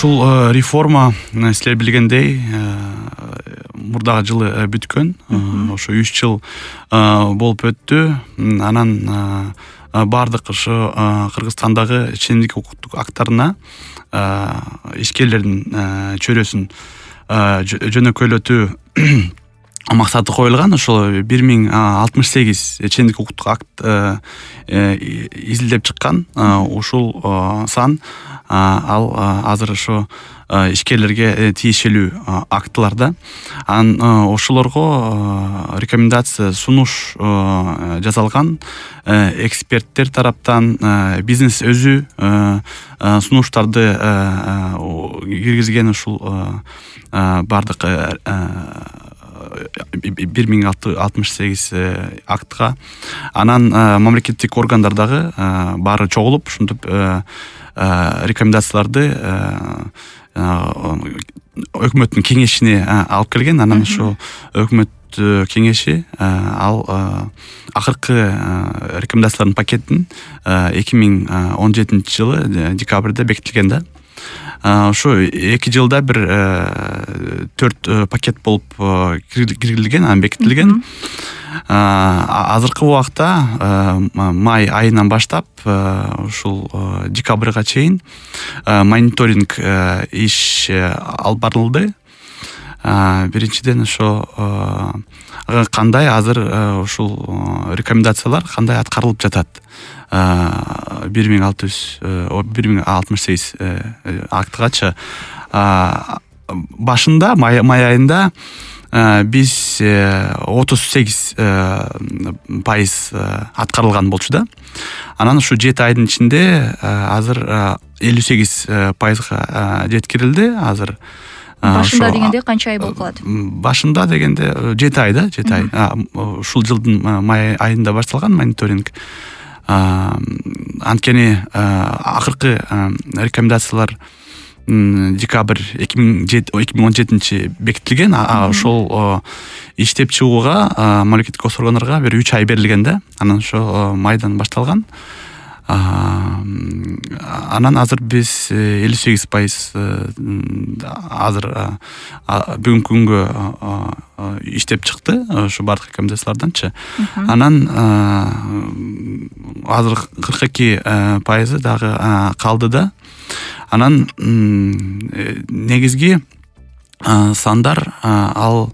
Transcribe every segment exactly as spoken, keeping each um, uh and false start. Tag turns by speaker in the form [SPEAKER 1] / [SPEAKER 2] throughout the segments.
[SPEAKER 1] ушул реформа силер билгендей мурдагы жылы бүткөн. Ошо үч жыл болуп өттү. Анан бардык ошо Кыргызстандагы чендик укуктук актарына ишкерлердин чөйрөсүн жөнөкөйлөтүү максаты коюлган. Ошол бир миң алтымыш сегиз чендик укуктук акт изилдеп чыккан. Ушул сан ал азыр ошо ишкерлерге тиешелүү актыларда. Анан ошолорго рекомендация сунуш жасалган. Эксперттер тараптан бизнес өзү сунуштарды киргизген ушул бардык бир миң алтымыш сегиз актка. Анан мамлекеттик органдар дагы баары чогулуп ушинтип рекомендацияларды өкмөттүн кеңешине алып келген. Анан ошо өкмөт кеңеши ал акыркы рекомендациялардын пакетин эки миң он жетинчи жылы декабрда бекитилген да. Ошо эки жылда бир төрт пакет болуп киргизилген, анан бекитилген. Азыркы убакта май айынан баштап ушул декабрга чейин мониторинг иш алып барылды. Биринчиден ошо кандай азыр ушул рекомендациялар кандай аткарылып жатат. бир миң алтымыш сегиз актыгачы башында май айында биз отуз сегиз пайыз аткарылган болчу да. Анан ушу жети айдын ичинде азыр элүү сегиз пайызга жеткирилди. Азыр
[SPEAKER 2] башында дегенде канча ай болуп калат?
[SPEAKER 1] Башында дегенде жети ай да, жети ай. Ушул жылдын май айында башталган мониторинг. Анткени акыркы рекомендациялар декабрь эки миң он жетинчи бекитилген. Ошол иштеп чыгууга мамлекеттик органдарга бир үч ай берилген да. Анан ошо майдан башталган. Анан азыр биз элүү сегиз пайыз азыр бүгүнкү күнгө иштеп чыкты ошо бардык рекомендацияларданчы. Анан азыр кырк эки пайызы дагы калды да. Анан негизги сандар ал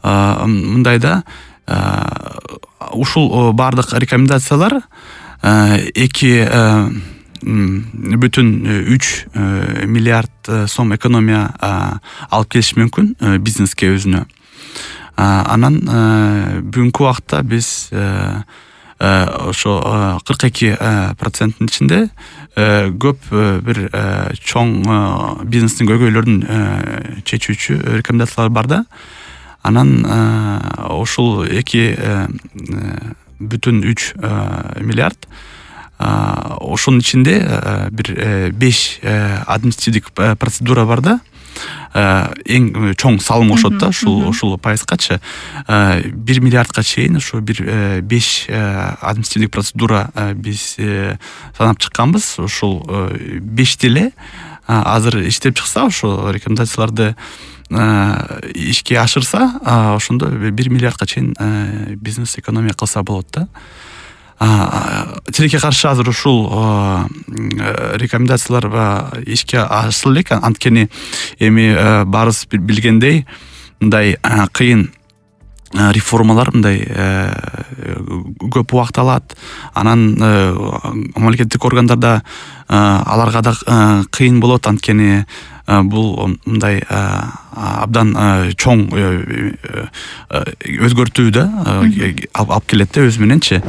[SPEAKER 1] мындай да. Ушул бардык рекомендациялар эки бүтүн үч миллиард сом экономия алып келиши мүмкүн бизнеске өзүнө. Анан бүгүнкү убакта биз ошо кырк эки проценттин ичинде көп бир чоң бизнестин көйгөйлөрүн чечүүчү рекомендациялар бар да. Анан ошол эки бүтүн үч миллиард ошонун ичинде бир беш административдик процедура бар да. Эң чоң салым кошот да ушул ушул пайызгачы бир миллиардка чейин ошо бир беш административдик процедура биз санап чыкканбыз. Ушул бешти эле азыр иштеп чыкса, ошо рекомендацияларды ишке ашырса, ошондо бир миллиардка чейин бизнес экономия кылса болот да. Тилекке каршы азыр ушул рекомендациялар ишке ашырыла элек. Анткени эми баарыбыз билгендей мындай кыйын реформалар мындай көп убакыт алат. Анан мамлекеттик органдарда аларга да кыйын болот. Анткени бул мындай абдан чоң өзгөртүү да алып келет да өз мененчи.